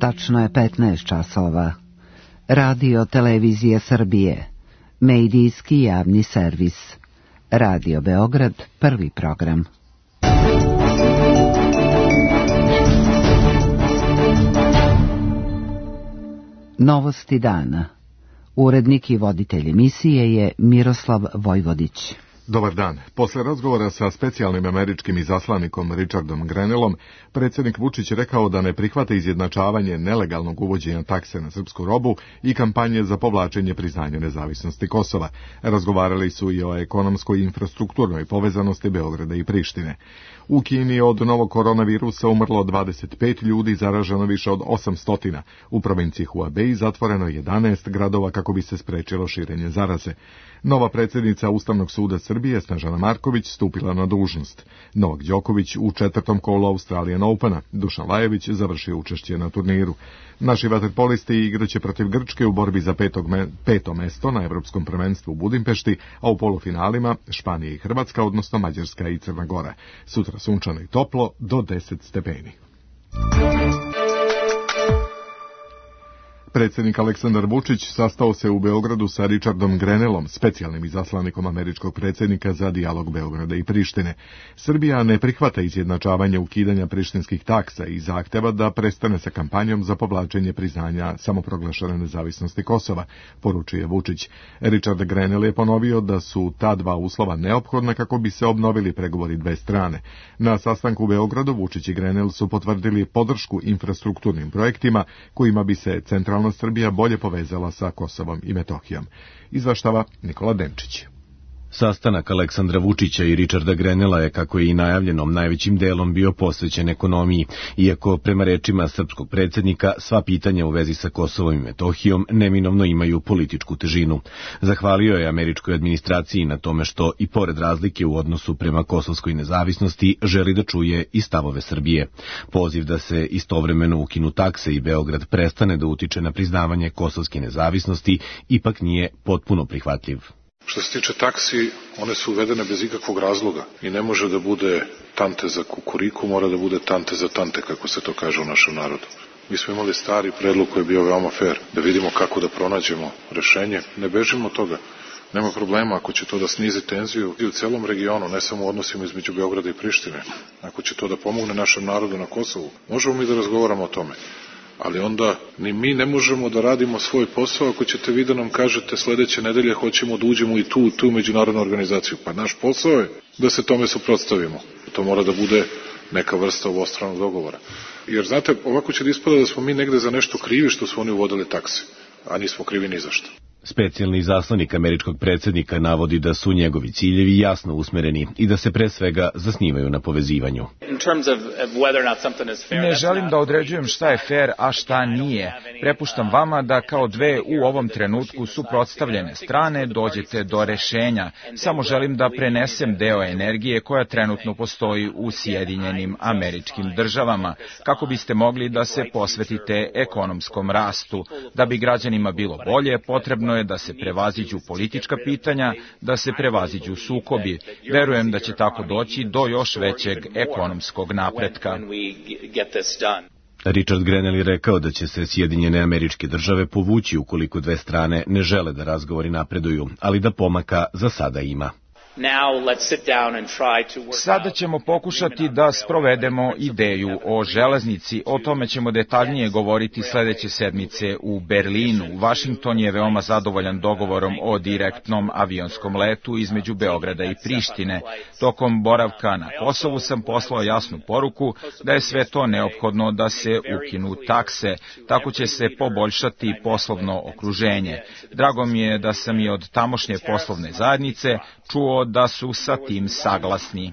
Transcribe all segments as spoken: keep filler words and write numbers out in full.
Tačno je petnaest časova. Radio Televizije Srbije. Medijski javni servis. Radio Beograd, prvi program. Novosti dana. Urednik i voditelj emisije je Miroslav Vojvodić. Dobar dan. Posle razgovora sa specijalnim američkim izaslanikom Richardom Grenellom, predsjednik Vučić rekao da ne prihvata izjednačavanje nelegalnog uvođenja takse na srpsku robu i kampanje za povlačenje priznanja nezavisnosti Kosova. Razgovarali su i o ekonomskoj i infrastrukturnoj povezanosti Beograda i Prištine. U Kini od novog koronavirusa umrlo dvadeset pet ljudi, zaraženo više od osamsto. U provinciji Hubei zatvoreno jedanaest gradova kako bi se sprečilo širenje zaraze. Nova predsjednica Ustavnog suda Srbije, Snežana Marković, stupila na dužnost. Novak Đoković u četvrtom kolu Australian Opena. Dušan Lajović završio učešće na turniru. Naši vaterpolisti igraće protiv Grčke u borbi za petog me, peto mesto na Evropskom prvenstvu u Budimpešti, a u polufinalima Španija i Hrvatska, odnosno Mađarska i Crna Gora. Sutra sunčano i toplo do deset stepeni. Predsjednik Aleksandar Vučić sastao se u Beogradu sa Richardom Grenellom, specijalnim izaslanikom američkog predsjednika za dijalog Beograda i Prištine. Srbija ne prihvata izjednačavanje ukidanja prištinskih taksa i zahteva da prestane sa kampanjom za povlačenje priznanja samoproglašene nezavisnosti Kosova, poručuje Vučić. Richard Grenell je ponovio da su ta dva uslova neophodna kako bi se obnovili pregovori dve strane. Na sastanku u Beogradu Vučić i Grenell su potvrdili podršku infrastrukturnim projektima kojima bi se centralna Srbija bolje povezala sa Kosovom i Metohijom. Izvaštava Nikola Denčić. Sastanak Aleksandra Vučića i Richarda Grenella je, kako je i najavljenom, najvećim delom bio posvećen ekonomiji, iako prema rečima srpskog predsjednika sva pitanja u vezi sa Kosovom i Metohijom neminovno imaju političku težinu. Zahvalio je američkoj administraciji na tome što, i pored razlike u odnosu prema kosovskoj nezavisnosti, želi da čuje i stavove Srbije. Poziv da se istovremeno ukinu takse i Beograd prestane da utiče na priznavanje kosovske nezavisnosti ipak nije potpuno prihvatljiv. Što se tiče taksi, one su uvedene bez ikakvog razloga i ne može da bude tante za kukuriku, mora da bude tante za tante, kako se to kaže u našem narodu. Mi smo imali stari predlog koji je bio veoma fair, da vidimo kako da pronađemo rešenje. Ne bežimo od toga. Nema problema ako će to da snizi tenziju i u celom regionu, ne samo u odnosima između Beograda i Prištine. Ako će to da pomogne našem narodu na Kosovu, možemo mi da razgovaramo o tome. Ali onda ni mi ne možemo da radimo svoj posao ako ćete vi da nam kažete sledeće nedelje hoćemo da uđemo i tu, tu međunarodnu organizaciju. Pa naš posao je da se tome suprotstavimo. To mora da bude neka vrsta obostranog dogovora. Jer znate, ovako će da ispada da smo mi negde za nešto krivi što su oni uvodili takse, a nismo krivi ni za što. Specijalni izaslanik američkog predsjednika navodi da su njegovi ciljevi jasno usmereni i da se pre svega zasnivaju na povezivanju. Ne želim da određujem šta je fair, a šta nije. Prepuštam vama da kao dve u ovom trenutku suprotstavljene strane dođete do rešenja. Samo želim da prenesem deo energije koja trenutno postoji u Sjedinjenim Američkim Državama, kako biste mogli da se posvetite ekonomskom rastu. Da bi građanima bilo bolje, potrebno je da se prevaziđu politička pitanja, da se prevaziđu sukobi. Verujem da će tako doći do još većeg ekonomskog napretka. Richard Grenell je rekao da će se Sjedinjene Američke Države povući ukoliko dve strane ne žele da razgovori napreduju, ali da pomaka za sada ima. Sada ćemo pokušati da sprovedemo ideju o železnici. O tome ćemo detaljnije govoriti sledeće sedmice u Berlinu. Washington je veoma zadovoljan dogovorom o direktnom avionskom letu između Beograda i Prištine. Tokom boravka na Kosovu sam poslao jasnu poruku da je sve to neophodno da se ukinu takse. Tako će se poboljšati poslovno okruženje. Drago mi je da sam i od tamošnje poslovne zajednice čuo da su sa tim saglasni.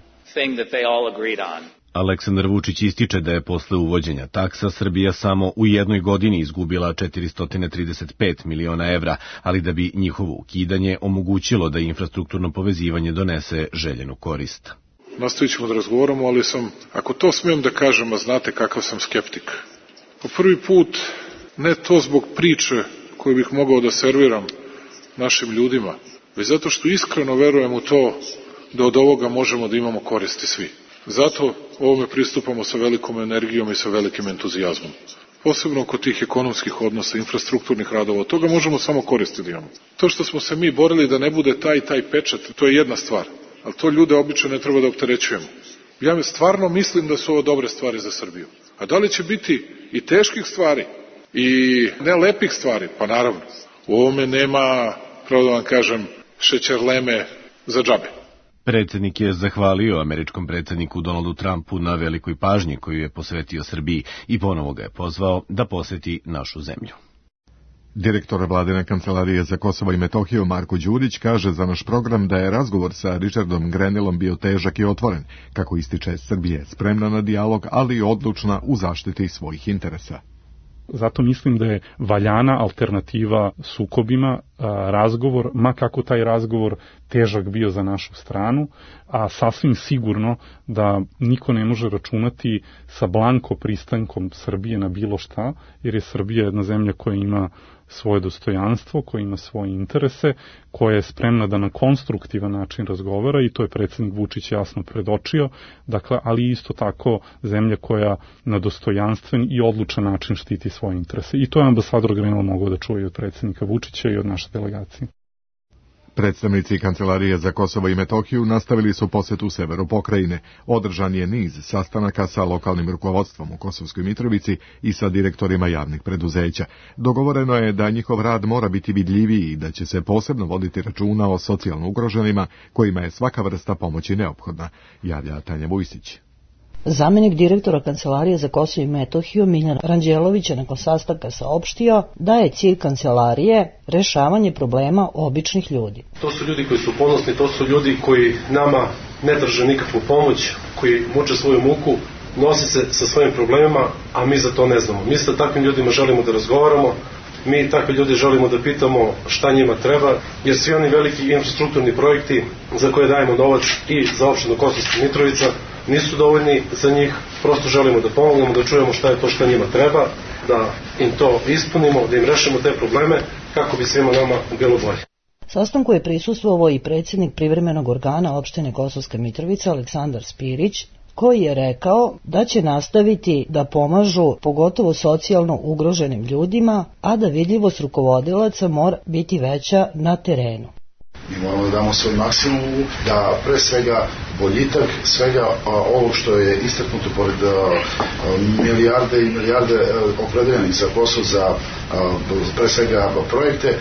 Aleksandar Vučić ističe da je posle uvođenja taksa Srbija samo u jednoj godini izgubila četiristo trideset pet miliona evra, ali da bi njihovo ukidanje omogućilo da infrastrukturno povezivanje donese željenu korist. Nastavit ćemo da razgovaramo, ali sam, ako to smijem da kažem, a znate kakav sam skeptik. Po prvi put, ne to zbog priče koju bih mogao da serviram našim ljudima, već zato što iskreno verujem u to da od ovoga možemo da imamo koristi svi. Zato ovome pristupamo sa velikom energijom i sa velikim entuzijazmom. posebno oko tih ekonomskih odnosa, infrastrukturnih radova, od toga možemo samo koristiti da imamo. To što smo se mi borili da ne bude taj taj pečat, to je jedna stvar, ali to ljude obično ne treba da opterećujemo. Ja stvarno mislim da su ovo dobre stvari za Srbiju. A da li će biti i teških stvari i nelepih stvari? Pa naravno. U ovome nema, pravo da vam kažem, šećerleme za džabe. Predsjednik je zahvalio američkom predsjedniku Donaldu Trumpu na velikoj pažnji koju je posvetio Srbiji i ponovo ga je pozvao da poseti našu zemlju. Direktor vladine kancelarije za Kosovo i Metohiju Marko Đurić kaže za naš program da je razgovor sa Richardom Grenellom bio težak i otvoren. Kako ističe, Srbija je spremna na dijalog, ali i odlučna u zaštiti svojih interesa. Zato mislim da je valjana alternativa sukobima, razgovor, ma kako taj razgovor težak bio za našu stranu, a sasvim sigurno da niko ne može računati sa blanko pristankom Srbije na bilo šta, jer je Srbija jedna zemlja koja ima svoje dostojanstvo, koja ima svoje interese, koja je spremna da na konstruktivan način razgovara i to je predsjednik Vučić jasno predočio, dakle, ali isto tako zemlja koja na dostojanstven i odlučan način štiti svoje interese. I to je ambasador Grenell mogao da čuje od predsjednika Vučića i od naše delegacije. Predstavnici Kancelarije za Kosovo i Metohiju nastavili su posetu severu pokrajine. Održan je niz sastanaka sa lokalnim rukovodstvom u Kosovskoj Mitrovici i sa direktorima javnih preduzeća. Dogovoreno je da njihov rad mora biti vidljiviji i da će se posebno voditi računa o socijalno ugroženima kojima je svaka vrsta pomoći neophodna, javlja Tanja Vujsić. Zamenik direktora Kancelarije za Kosovo i Metohiju Miljan Ranđelović je nakon sastanka saopštio da je cilj kancelarije rešavanje problema običnih ljudi. To su ljudi koji su ponosni, to su ljudi koji nama ne drže nikakvu pomoć, koji muče svoju muku, nosi se sa svojim problemima, a mi za to ne znamo. Mi sa takvim ljudima želimo da razgovaramo, mi takve ljudi želimo da pitamo šta njima treba, jer svi oni veliki infrastrukturni projekti za koje dajemo novac i za opštinu Kosovska Mitrovica nisu dovoljni za njih, prosto želimo da pomognemo, da čujemo šta je to šta njima treba, da im to ispunimo, da im rešimo te probleme kako bi svima nama bilo bolje. Sastanku je prisustvovao i predsjednik privremenog organa opštine Kosovska Mitrovica Aleksandar Spirić, koji je rekao da će nastaviti da pomažu pogotovo socijalno ugroženim ljudima, a da vidljivost rukovodilaca mora biti veća na terenu. Mi moramo da damo svoj maksimum, da pre svega boljitak, svega ovo što je istaknuto pored milijarde i milijarde opredeljenih za posao, za pre svega projekte,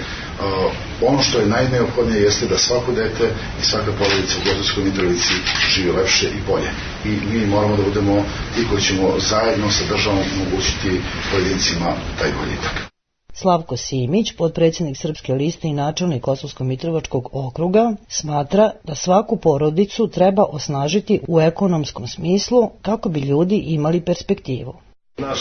ono što je najneophodnije jeste da svako dete i svaka porodica u Kosovskoj Mitrovici živi lepše i bolje. I mi moramo da budemo ti koji ćemo zajedno sa državom omogućiti pojedincima taj boljitak. Slavko Simić, potpredsjednik Srpske liste i načelnik Kosovsko-Mitrovačkog okruga, smatra da svaku porodicu treba osnažiti u ekonomskom smislu kako bi ljudi imali perspektivu. Naš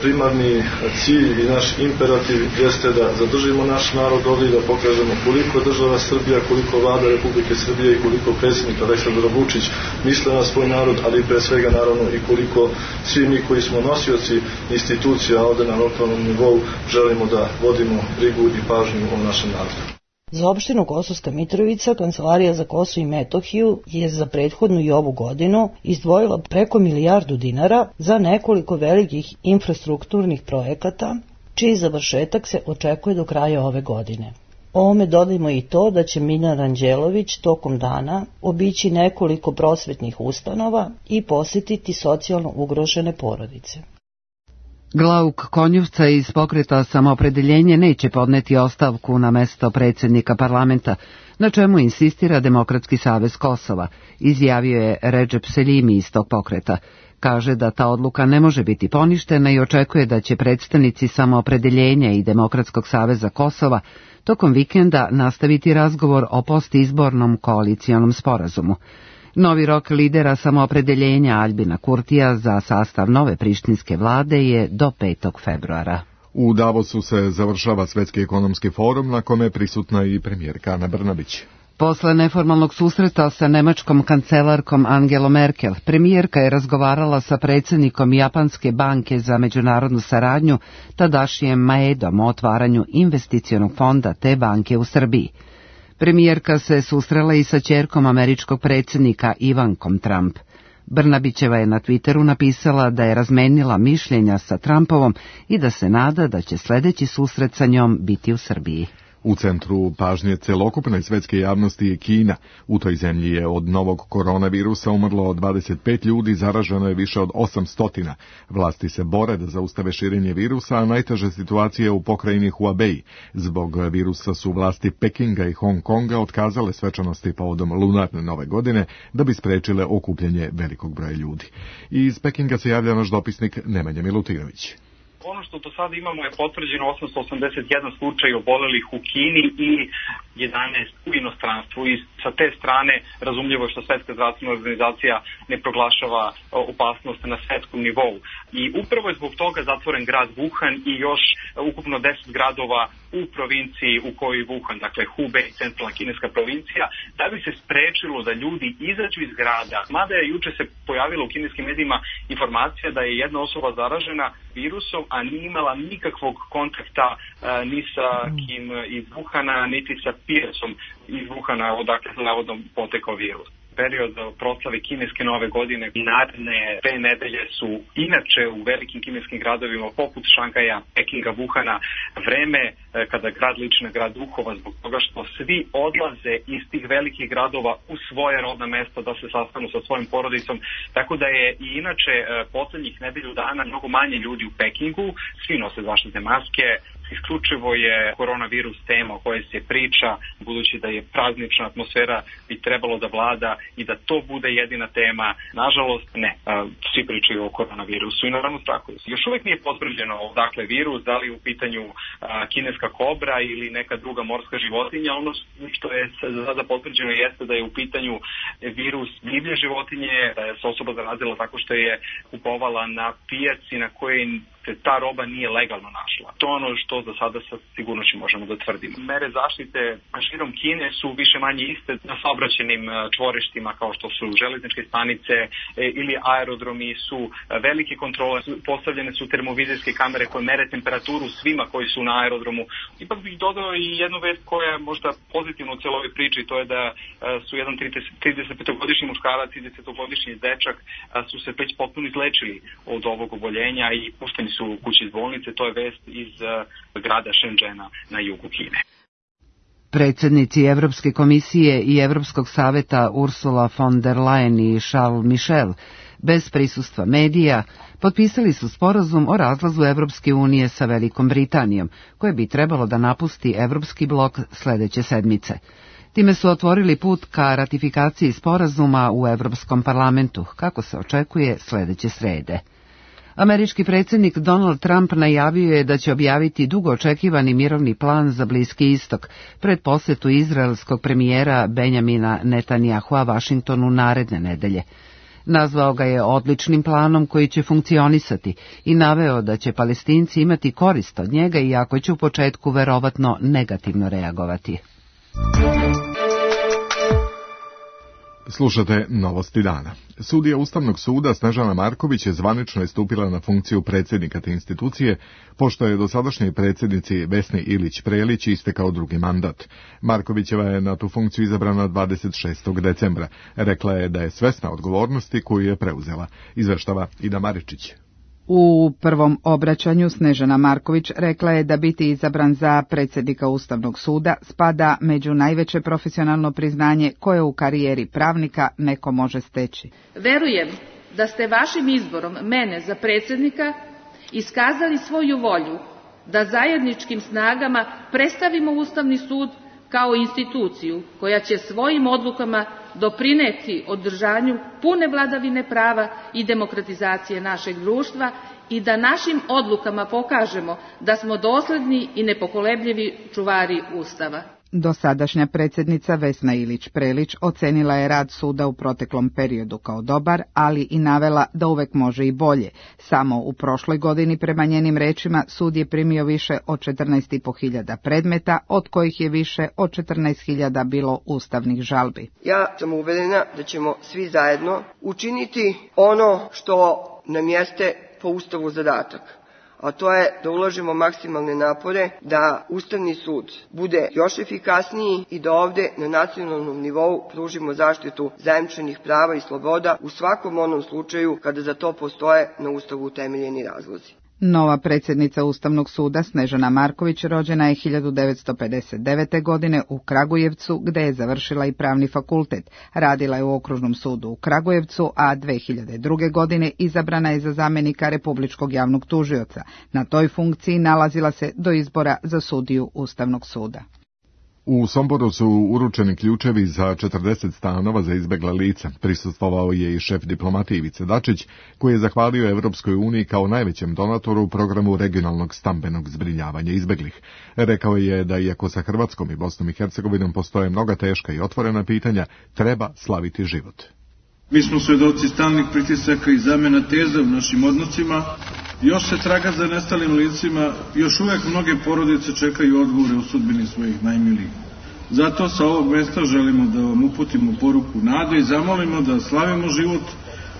primarni cilj i naš imperativ jeste da zadržimo naš narod ovdje i da pokažemo koliko država Srbija, koliko vlada Republike Srbije i koliko predsjednik Aleksandar Vučić misle na svoj narod, ali pre svega naravno i koliko svi mi koji smo nosioci institucija ovdje na lokalnom nivou želimo da vodimo brigu i pažnju o našem narodu. Za opštinu Kosovska Mitrovica Kancelarija za Kosovo i Metohiju je za prethodnu i ovu godinu izdvojila preko milijardu dinara za nekoliko velikih infrastrukturnih projekata, čiji završetak se očekuje do kraja ove godine. Ovome dodajmo i to da će Miljan Ranđelović tokom dana obići nekoliko prosvetnih ustanova i posjetiti socijalno ugrožene porodice. Glauk Konjuvca iz pokreta Samoopredeljenje neće podneti ostavku na mesto predsjednika parlamenta, na čemu insistira Demokratski savez Kosova, izjavio je Redžep Seljimi iz tog pokreta. Kaže da ta odluka ne može biti poništena i očekuje da će predstavnici Samoopredeljenja i Demokratskog saveza Kosova tokom vikenda nastaviti razgovor o postizbornom koalicijonom sporazumu. Novi rok lidera Samoopredeljenja Aljbina Kurtija za sastav nove prištinske vlade je do petog februara. U Davosu se završava Svetski ekonomski forum na kome je prisutna i premijerka Ana Brnabić. Posle neformalnog susreta sa nemačkom kancelarkom Angelom Merkel, premijerka je razgovarala sa predsjednikom Japanske banke za međunarodnu saradnju Tadašijem Maedom o otvaranju investicionog fonda te banke u Srbiji. Premijerka se susrela i sa ćerkom američkog predsjednika Ivankom Trump. Brnabićeva je na Twitteru napisala da je razmenila mišljenja sa Trumpovom i da se nada da će sledeći susret sa njom biti u Srbiji. U centru pažnje celokupne svetske javnosti je Kina. U toj zemlji je od novog koronavirusa umrlo dvadeset pet ljudi, zaraženo je više od osamsto. Vlasti se bore da zaustave širenje virusa, a najteža situacija je u pokrajini Hubei. Zbog virusa su vlasti Pekinga i Hong Konga otkazale svečanosti povodom lunarne nove godine da bi sprečile okupljanje velikog broja ljudi. I iz Pekinga se javlja naš dopisnik Nemanja Milutinović. Ono što do sada imamo je potvrđeno osamsto osamdeset jedan slučaj obolelih u Kini i jedanaest u inostranstvu. I sa te strane razumljivo je što Svetska zdravstvena organizacija ne proglašava opasnost na svetskom nivou. I upravo je zbog toga zatvoren grad Wuhan i još ukupno deset gradova u provinciji u kojoj je Wuhan, dakle Hubei, centralna kineska provincija, da bi se sprečilo da ljudi izađu iz grada. Mada je juče se pojavila u kineskim medijima informacija da je jedna osoba zaražena virusom, a nije imala nikakvog kontakta a, ni sa kim iz Wuhana, niti sa pijasom iz Wuhana, odakle se navodno potekao virus. Period proslave kineske nove godine i naredne dve nedelje su inače u velikim kineskim gradovima poput Šangaja, Pekinga, Wuhana vreme kada grad liči na grad duhova, zbog toga što svi odlaze iz tih velikih gradova u svoje rodna mesta da se sastanu sa svojim porodicom, tako da je i inače poslednjih nedelju dana mnogo manje ljudi u Pekingu, svi nose zaštitne maske. Isključivo je koronavirus tema o kojoj se priča, budući da je praznična atmosfera bi trebalo da vlada i da to bude jedina tema. Nažalost, ne. Svi pričaju o koronavirusu i naravno strahu. Još uvek nije potvrđeno odakle virus, da li u pitanju kineska kobra ili neka druga morska životinja. Ono što je sada potvrđeno jeste da je u pitanju virus divlje životinje, da je se osoba zarazila tako što je kupovala na pijaci na kojoj se ta roba nije legalno našla. To je ono što za sada sa sigurnošću možemo da tvrdimo. Mere zaštite širom Kine su više manje iste na saobraćajnim čvorištima kao što su železničke stanice ili aerodromi, su velike kontrole, postavljene su termovizijske kamere koje mere temperaturu svima koji su na aerodromu. Ipak bih dodao i jednu vest koja je možda pozitivna u celoj priči, to je da su jedan tridesetpetogodišnji muškarac i desetogodišnji dečak su se već potpuno izlečili od ovog oboljenja i pušteni su kući iz bolnice. To je vest iz uh, grada Shenzhena na jugu Kine. Predsednici Evropske komisije i Evropskog saveta Ursula von der Leyen i Charles Michel bez prisustva medija potpisali su sporazum o razlazu Evropske unije sa Velikom Britanijom, koje bi trebalo da napusti Evropski blok sledeće sedmice. Time su otvorili put ka ratifikaciji sporazuma u Evropskom parlamentu, kako se očekuje sledeće srede. Američki predsjednik Donald Trump najavio je da će objaviti dugo očekivani mirovni plan za Bliski istok pred posetu izraelskog premijera Benjamina Netanjahua Vašingtonu naredne nedelje. Nazvao ga je odličnim planom koji će funkcionisati i naveo da će Palestinci imati korist od njega, iako će u početku verovatno negativno reagovati. Slušate Novosti dana. Sudija Ustavnog suda Snežana Marković je zvanično istupila na funkciju predsjednika te institucije, pošto je dosadašnjoj predsjednici Vesni Ilić Prelić istekao drugi mandat. Markovićeva je na tu funkciju izabrana dvadeset šestog decembra. Rekla je da je svesna odgovornosti koju je preuzela. Izveštava Ida Maričić. U prvom obraćanju Snežana Marković rekla je da biti izabran za predsjednika Ustavnog suda spada među najveće profesionalno priznanje koje u karijeri pravnika neko može steći. Verujem da ste vašim izborom mene za predsjednika iskazali svoju volju da zajedničkim snagama predstavimo Ustavni sud kao instituciju koja će svojim odlukama doprineti održanju pune vladavine prava i demokratizacije našeg društva i da našim odlukama pokažemo da smo dosledni i nepokolebljivi čuvari Ustava. Dosadašnja predsjednica Vesna Ilić Prelić ocenila je rad suda u proteklom periodu kao dobar, ali i navela da uvek može i bolje. Samo u prošloj godini, prema njenim rečima, sud je primio više od četrnaest i po hiljada predmeta, od kojih je više od četrnaest hiljada bilo ustavnih žalbi. Ja sam uverena da ćemo svi zajedno učiniti ono što nam jeste po Ustavu zadatak, a to je da ulažemo maksimalne napore da Ustavni sud bude još efikasniji i da ovde na nacionalnom nivou pružimo zaštitu zajamčenih prava i sloboda u svakom onom slučaju kada za to postoje na Ustavu utemeljeni razlozi. Nova predsjednica Ustavnog suda Snežana Marković rođena je hiljadu devetsto pedeset devete. godine u Kragujevcu, gde je završila i pravni fakultet. Radila je u Okružnom sudu u Kragujevcu, a dve hiljade druge. godine izabrana je za zamjenika Republičkog javnog tužioca. Na toj funkciji nalazila se do izbora za sudiju Ustavnog suda. U Somboru su uručeni ključevi za četrdeset stanova za izbegla lica. Prisustvovao je i šef diplomatije Ivica Dačić, koji je zahvalio Evropskoj uniji kao najvećem donatoru u programu regionalnog stambenog zbrinjavanja izbeglih. Rekao je da iako sa Hrvatskom i Bosnom i Hercegovinom postoje mnoga teška i otvorena pitanja, treba slaviti život. Mi smo svedoci stalnih pritisaka i zamena teza u našim odnosima. Još se traga za nestalim licima, još uvek mnoge porodice čekaju odgovore o sudbini svojih najmilijih. Zato sa ovog mesta želimo da vam uputimo poruku nade i zamolimo da slavimo život,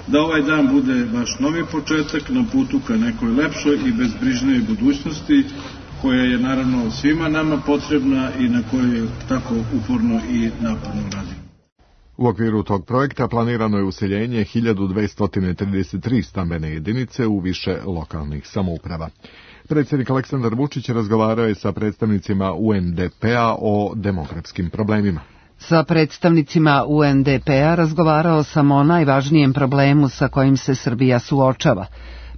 da ovaj dan bude vaš novi početak na putu ka nekoj lepšoj i bezbrižnoj budućnosti, koja je naravno svima nama potrebna i na kojoj tako uporno i naporno radimo. U okviru tog projekta planirano je useljenje hiljadu dvesta trideset tri stambene jedinice u više lokalnih samouprava. Predsjednik Aleksandar Vučić razgovarao je sa predstavnicima U N D P-a o demografskim problemima. Sa predstavnicima U N D P-a razgovarao sam o najvažnijem problemu sa kojim se Srbija suočava.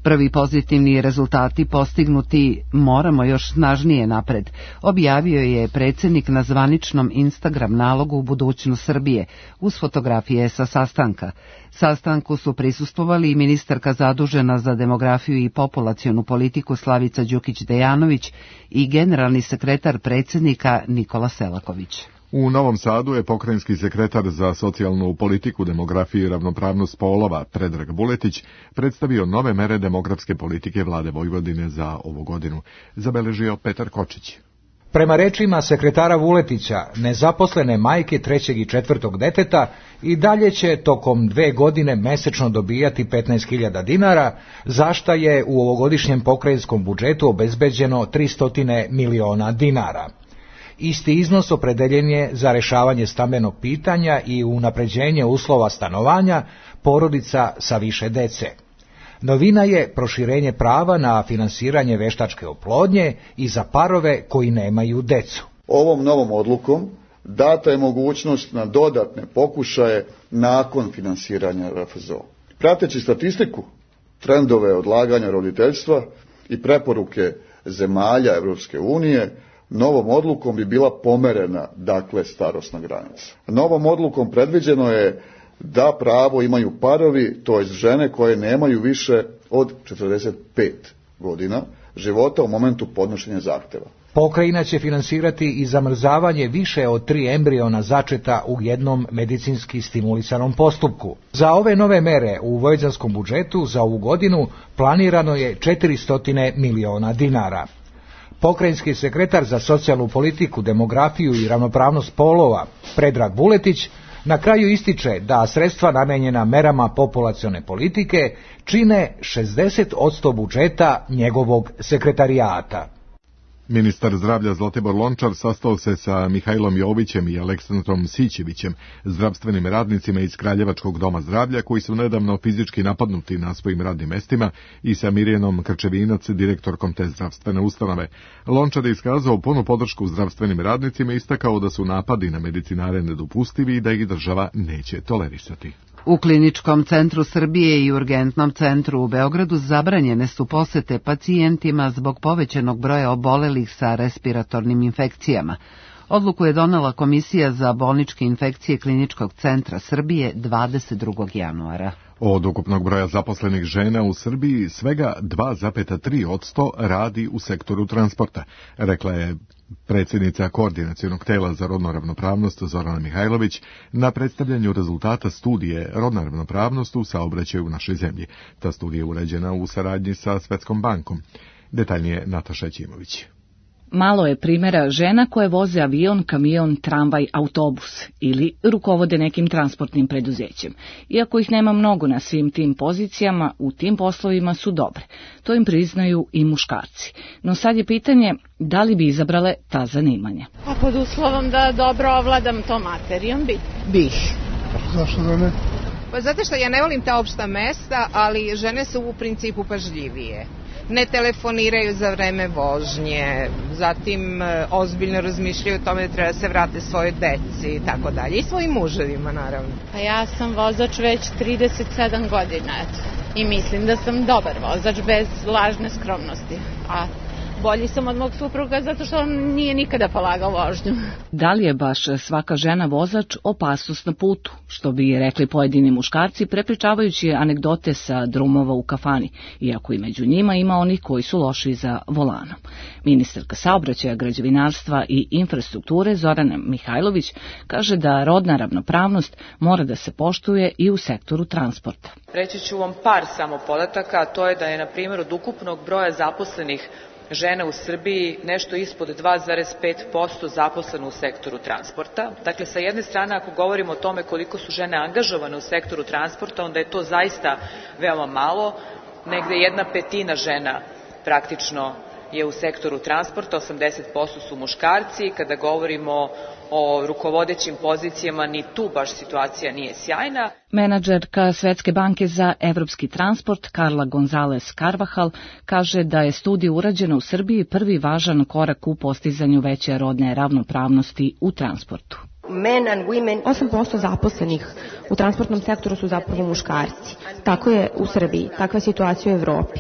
Prvi pozitivni rezultati postignuti moramo još snažnije napred, objavio je predsjednik na zvaničnom Instagram nalogu u budućnost Srbije, uz fotografije sa sastanka. Sastanku su prisustvovali i ministarka zadužena za demografiju i populacionu politiku Slavica Đukić-Dejanović i generalni sekretar predsjednika Nikola Selaković. U Novom Sadu je pokrajinski sekretar za socijalnu politiku, demografiju i ravnopravnost polova Predrag Buletić predstavio nove mere demografske politike vlade Vojvodine za ovu godinu, zabeležio Petar Kočić. Prema rečima sekretara Vuletića, nezaposlene majke trećeg i četvrtog deteta i dalje će tokom dve godine mesečno dobijati petnaest hiljada dinara, za šta je u ovogodišnjem pokrajinskom budžetu obezbeđeno tristo miliona dinara. Isti iznos opredeljen je za rešavanje stambenog pitanja i unapređenje uslova stanovanja porodica sa više dece. Novina je proširenje prava na finansiranje veštačke oplodnje i za parove koji nemaju decu. Ovom novom odlukom data je mogućnost na dodatne pokušaje nakon finansiranja R F Z O. Prateći statistiku, trendove odlaganja roditeljstva i preporuke zemalja Evropske unije, novom odlukom bi bila pomerena, dakle, starosna granica. Novom odlukom predviđeno je da pravo imaju parovi, to jest žene koje nemaju više od četrdeset pet godina života u momentu podnošenja zahteva. Pokrajina će finansirati i zamrzavanje više od tri embriona začeta u jednom medicinski stimulisanom postupku. Za ove nove mere u vojvođanskom budžetu za ovu godinu planirano je četiristo miliona dinara. Pokrajinski sekretar za socijalnu politiku, demografiju i ravnopravnost polova Predrag Vuletić na kraju ističe da sredstva namenjena merama populacione politike čine šezdeset posto budžeta njegovog sekretarijata. Ministar zdravlja Zlatibor Lončar sastao se sa Mihajlom Jovićem i Aleksandrom Sićevićem, zdravstvenim radnicima iz Kraljevačkog doma zdravlja koji su nedavno fizički napadnuti na svojim radnim mestima, i sa Mirjanom Krčevinac, direktorkom te zdravstvene ustanove. Lončar je iskazao punu podršku zdravstvenim radnicima i istakao da su napadi na medicinare nedopustivi i da ih država neće tolerisati. U Kliničkom centru Srbije i Urgentnom centru u Beogradu zabranjene su posete pacijentima zbog povećanog broja obolelih sa respiratornim infekcijama. Odluku je donela Komisija za bolničke infekcije Kliničkog centra Srbije dvadeset drugog januara. Od ukupnog broja zaposlenih žena u Srbiji svega dva zarez tri posto radi u sektoru transporta, rekla je predsjednica Koordinacionog tela za rodnu ravnopravnost Zorana Mihajlović na predstavljanju rezultata studije Rodna ravnopravnost u saobraćaju u našoj zemlji. Ta studija je urađena u saradnji sa Svetskom bankom. Detaljnije Nataša Ćimović. Malo je primjera žena koje voze avion, kamion, tramvaj, autobus ili rukovode nekim transportnim preduzećem. Iako ih nema mnogo na svim tim pozicijama, u tim poslovima su dobre. To im priznaju i muškarci. No sad je pitanje da li bi izabrale ta zanimanja. Pa pod uslovom da dobro ovladam to materijom bi. Bih. Zašto da ne? Pa zato što ja ne volim ta opšta mesta, ali žene su u principu pažljivije. Ne telefoniraju za vreme vožnje, zatim ozbiljno razmišljaju o tome da treba se vrate svojoj deci i tako dalje. I svojim muževima, naravno. Pa ja sam vozač već trideset sedam godina, eto. I mislim da sam dobar vozač bez lažne skromnosti. A bolji sam od mog supruga zato što on nije nikada polagao vožnju. Da li je baš svaka žena vozač opasnost na putu, što bi rekli pojedini muškarci prepričavajući anegdote sa drumova u kafani, iako i među njima ima onih koji su loši za volanom. Ministarka saobraćaja, građevinarstva i infrastrukture Zorana Mihajlović kaže da rodna ravnopravnost mora da se poštuje i u sektoru transporta. Reći ću vam par samo podataka, a to je da je na primjer od ukupnog broja zaposlenih žena u Srbiji nešto ispod dva zarez pet posto zaposleno u sektoru transporta. Dakle, sa jedne strane, ako govorimo o tome koliko su žene angažovane u sektoru transporta, onda je to zaista veoma malo. Negde jedna petina žena praktično je u sektoru transporta, osamdeset posto su muškarci. Kada govorimo o rukovodećim pozicijama, ni tu baš situacija nije sjajna. Menadžerka Svetske banke za evropski transport Karla González Carvajal kaže da je studija urađena u Srbiji prvi važan korak u postizanju veće rodne ravnopravnosti u transportu. osam posto zaposlenih u transportnom sektoru su zapravo muškarci. Tako je u Srbiji, takva je situacija u Evropi.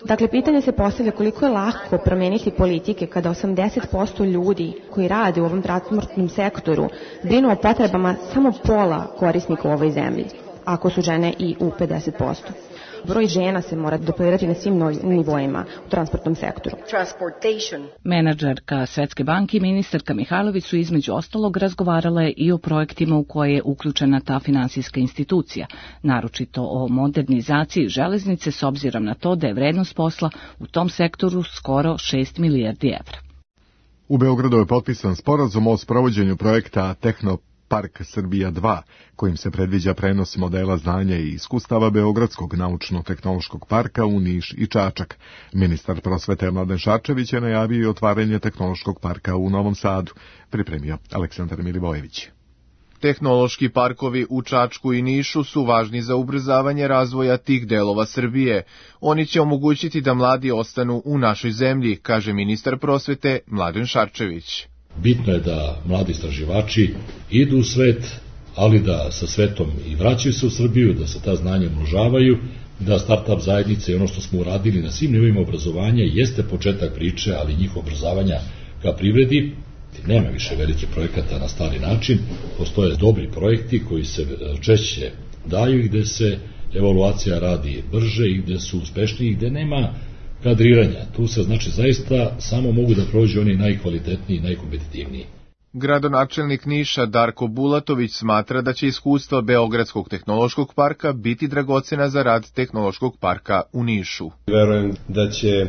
Dakle, pitanje se postavlja koliko je lako promeniti politike kada osamdeset posto ljudi koji rade u ovom transportnom sektoru brinu o potrebama samo pola korisnika u ovoj zemlji, ako su žene i u pedeset posto. Broj žena se mora duplirati na svim nivoima u transportnom sektoru. Menadžerka Svetske banke i ministarka Mihajlović su između ostalog razgovarale i o projektima u koje je uključena ta finansijska institucija, naročito o modernizaciji železnice s obzirom na to da je vrednost posla u tom sektoru skoro šest milijardi evra. U Beogradu je potpisan sporazum o sprovođenju projekta Tehno Park Srbija dva, kojim se predviđa prenos modela znanja i iskustava Beogradskog naučno-tehnološkog parka u Niš i Čačak. Ministar prosvete Mladen Šarčević je najavio i otvaranje tehnološkog parka u Novom Sadu, pripremio Aleksandar Milivojević. Tehnološki parkovi u Čačku i Nišu su važni za ubrzavanje razvoja tih delova Srbije. Oni će omogućiti da mladi ostanu u našoj zemlji, kaže ministar prosvete Mladen Šarčević. Bitno je da mladi istraživači idu u svet, ali da sa svetom i vraćaju se u Srbiju, da se ta znanja umnožavaju, da start-up zajednice i ono što smo uradili na svim nivoima obrazovanja jeste početak priče, ali njihovo obrazovanja ka privredi. Nema više velike projekata na stari način, postoje dobri projekti koji se češće daju i gde se evaluacija radi brže i gde su uspešniji, gde nema kadriranja. Tu se znači zaista samo mogu da prođu oni najkvalitetniji i najkompetitivniji. Gradonačelnik Niša Darko Bulatović smatra da će iskustva Beogradskog tehnološkog parka biti dragocena za rad Tehnološkog parka u Nišu. Verujem da će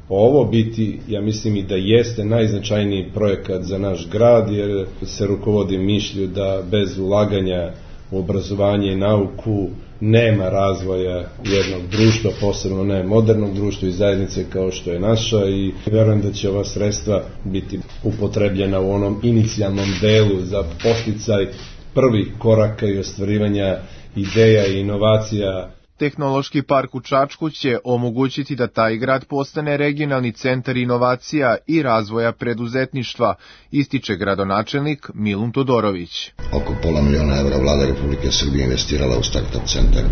ovo biti, ja mislim i da jeste najznačajniji projekat za naš grad, jer se rukovodi mišlju da bez ulaganja u obrazovanje i nauku nema razvoja jednog društva, posebno ne modernog društva i zajednice kao što je naša, i verujem da će ova sredstva biti upotrebljena u onom inicijalnom delu za posticaj prvih koraka i ostvarivanja ideja i inovacija. Tehnološki park u Čačku će omogućiti da taj grad postane regionalni centar inovacija i razvoja preduzetništva, ističe gradonačelnik Milun Todorović. Oko pola miliona evra vlada Republike Srbije investirala u start-up centar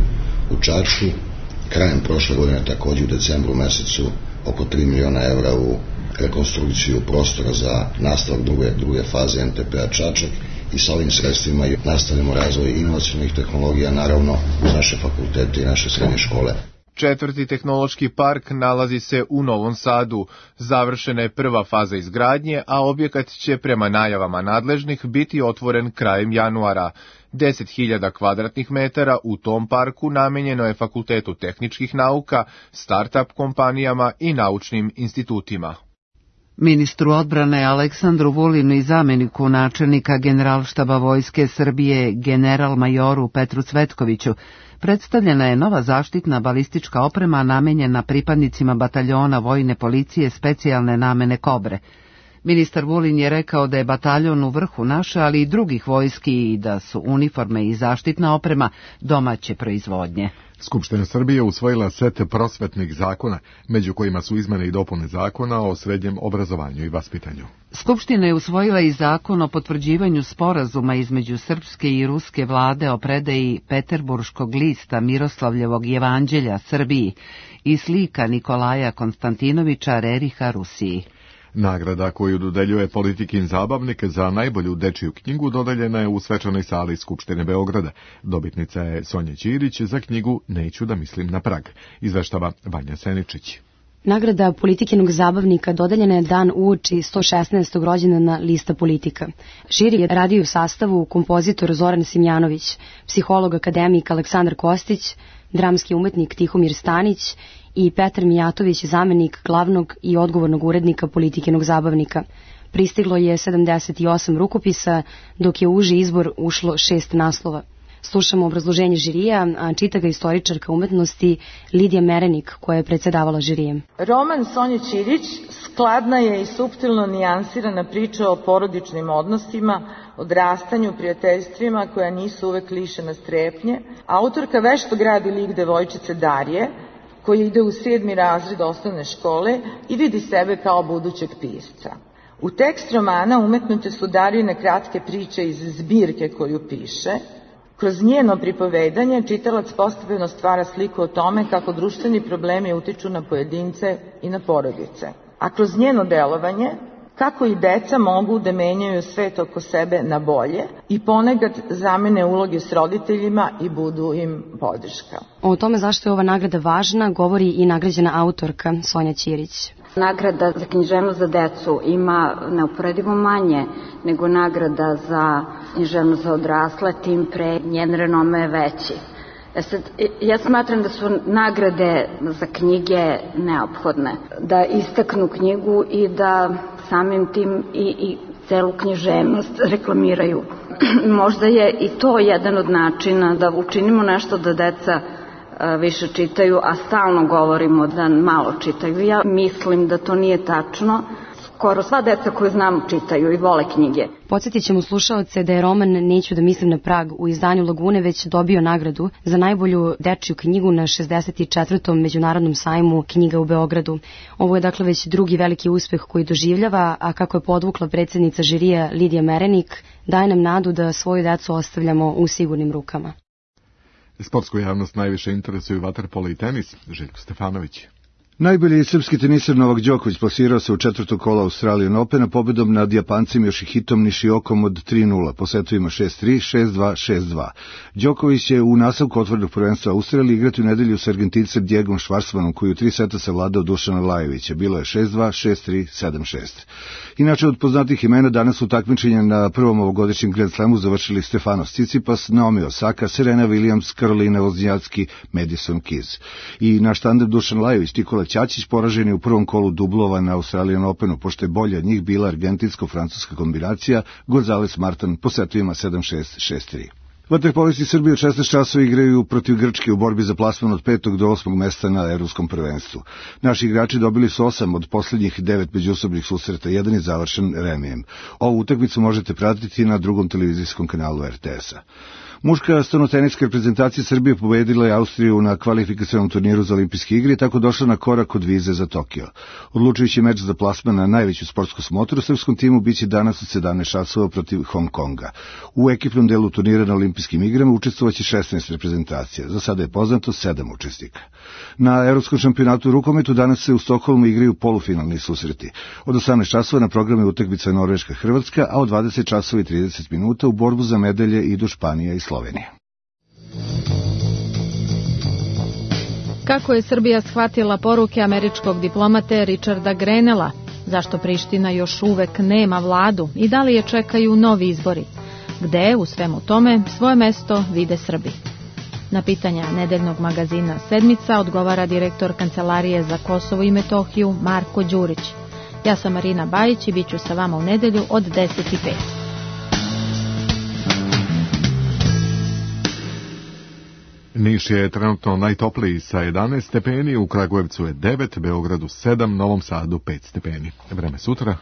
u Čačku. Krajem prošle godine, takođe u decembru mesecu, oko tri miliona evra u rekonstrukciju prostora za nastavak druge, druge faze en te pe-a Čačak. I sa ovim sredstvima nastavljamo razvoj inovacionih tehnologija, naravno uz naše fakultete i naše srednje škole. Četvrti tehnološki park nalazi se u Novom Sadu. Završena je prva faza izgradnje, a objekat će prema najavama nadležnih biti otvoren krajem januara. deset hiljada kvadratnih metara u tom parku namenjeno je Fakultetu tehničkih nauka, start-up kompanijama i naučnim institutima. Ministru odbrane Aleksandru Vulinu i zameniku načelnika Generalštaba Vojske Srbije general majoru Petru Cvetkoviću predstavljena je nova zaštitna balistička oprema namenjena pripadnicima bataljona vojne policije specijalne namene Kobre. Ministar Vulin je rekao da je bataljon u vrhu naše, ali i drugih vojski i da su uniforme i zaštitna oprema domaće proizvodnje. Skupština Srbije usvojila set prosvetnih zakona, među kojima su izmene i dopune zakona o srednjem obrazovanju i vaspitanju. Skupština je usvojila i zakon o potvrđivanju sporazuma između srpske i ruske vlade o predaji Peterburškog lista Miroslavljevog jevanđelja Srbiji i slika Nikolaja Konstantinovića Reriha Rusiji. Nagrada koju dodeljuje Politikin zabavnik za najbolju dečiju knjigu dodeljena je u svečanoj sali Skupštine Beograda. Dobitnica je Sonja Ćirić za knjigu Neću da mislim na Prag, izveštava Vanja Seničić. Nagrada Politikinog zabavnika dodeljena je dan uoči sto šesnaestog rođendana lista Politika. Žiri je radio u sastavu kompozitor Zoran Simjanović, psiholog akademik Aleksandar Kostić, dramski umetnik Tihomir Stanić i Petar Mijatović, zamenik glavnog i odgovornog urednika Politikinog zabavnika. Pristiglo je sedamdeset osam rukopisa, dok je u uži izbor ušlo šest naslova. Slušamo obrazloženje žirija, a čita ga istoričarka umetnosti Lidija Merenik, koja je predsedavala žirijem. Roman Sonje Ćirić skladna je i suptilno nijansirana priča o porodičnim odnosima, odrastanju, prijateljstvima koja nisu uvek lišena strepnje. Autorka vešto gradi lik devojčice Darije, koji ide u sedmi razred osnovne škole i vidi sebe kao budućeg pisca. U tekst romana umetnute su Darijine kratke priče iz zbirke koju piše. Kroz njeno pripovedanje čitalac postepeno stvara sliku o tome kako društveni problemi utiču na pojedince i na porodice. A kroz njeno delovanje, kako i deca mogu da menjaju svet oko sebe na bolje i ponekad zamene uloge s roditeljima i budu im podrška. O tome zašto je ova nagrada važna govori i nagrađena autorka Sonja Ćirić. Nagrada za književnost za decu ima neuporedivo manje nego nagrada za književnost za odrasle, tim pre njen renome je veći. Ja, sad, ja smatram da su nagrade za knjige neophodne, da istaknu knjigu i da samim tim i, i celu književnost reklamiraju. Možda je i to jedan od načina da učinimo nešto da deca više čitaju, a stalno govorimo da malo čitaju. Ja mislim da to nije tačno. Skoro sva deca koju znam čitaju i vole knjige. Podsjetit ćemo slušaoce da je roman Neću da mislim na Prag u izdanju Lagune već dobio nagradu za najbolju dečiju knjigu na šezdeset četvrtom Međunarodnom sajmu knjiga u Beogradu. Ovo je dakle već drugi veliki uspeh koji doživljava, a kako je podvukla predsednica žirija Lidija Merenik, daje nam nadu da svoju decu ostavljamo u sigurnim rukama. Sportsku javnost najviše interesuju vaterpolo i tenis. Željko Stefanović. Najbolji srpski teniser Novak Đoković plasirao se u četvrtog kola Australian Opena pobedom nad Japancem Yoshihitom Nishiokom od tri nula, po setovima šest tri, šest dva, šest dva. Đoković će u nastavku otvorenog prvenstva Australije igrati u nedelju sa Argentincem Diegom Schwarzmanom, koji u tri seta savladao Dušana Lajovića. Bilo je šest dva, šest tri, sedam šest. Inače, od poznatih imena danas su takmičenja na prvom ovogodišnjem Grand Slamu završili Stefanos Tsitsipas, Naomi Osaka, Serena Williams, Karolina Wozniacki, Madison Keys. I naš tandem Dušan Lajović, Nikola Ćaćić poražen je u prvom kolu dublova na Australian Openu, pošto je bolja od njih bila argentinsko-francuska kombinacija Gonzales Martin po setovima sedam šest, šest tri. Vaterpolisti Srbije od šesnaest časova igraju protiv Grčke u borbi za plasman od petog do osmog mesta na Evropskom prvenstvu. Naši igrači dobili su osam od posljednjih devet međusobnih susreta, jedan je završen remijem. Ovu utakmicu možete pratiti na drugom televizijskom kanalu er te es a. Muška stanotenička reprezentacija Srbije pobedila je Austriju na kvalifikacionom turniru za olimpijske igre i tako došla na korak od vize za Tokio. Odlučujući meč za plasman na najveću sportsku smotru srpskom timu biće danas od sedamnaest časova protiv Hong Konga. U ekipnom delu turnira na olimpijskim igrama učestvovaće šesnaest reprezentacija. Za sada je poznato sedam učesnika. Na Evropskom šampionatu u rukometu danas se u Stokholmu igraju polufinalni susreti. Od osamnaest časova na programu je utakmica Norveška-Hrvatska, a od dvadeset časova i trideset minuta u borbu za medalje idu Španija i Slovenija. Kako je Srbija shvatila poruke američkog diplomate Richarda Grenella? Zašto Priština još uvek nema vladu i da li je čekaju novi izbori? Gde u svemu tome svoje mesto vide Srbi? Na pitanja nedeljnog magazina Sedmica odgovara direktor Kancelarije za Kosovo i Metohiju Marko Đurić. Ja sam Marina Bajić i bit ću sa vama u nedelju od deset i pet. Niš je trenutno najtopliji sa jedanaest stepeni, u Kragujevcu je devet, Beogradu sedam, Novom Sadu pet stepeni. Vreme sutra.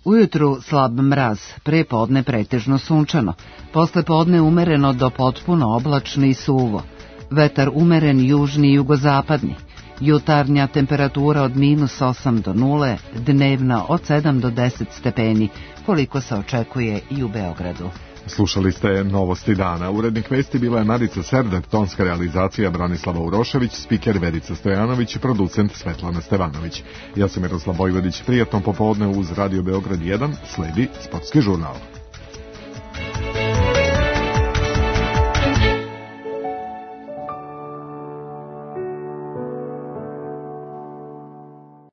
Ujutru slab mraz, pre podne pretežno sunčano, posle podne umereno do potpuno oblačno i suvo. Vetar umeren južni i jugozapadni. Jutarnja temperatura od minus osam do nule, dnevna od sedam do deset stepeni, koliko se očekuje i u Beogradu. Slušali ste Novosti dana. Urednik vesti bila je Marica Serdar, tonska realizacija Branislava Urošević, spiker Verica Stojanović, producent Svetlana Stevanović. Ja sam Miroslav Vojvodić, prijatno popodne uz Radio Beograd jedan, sledi Sportski žurnal.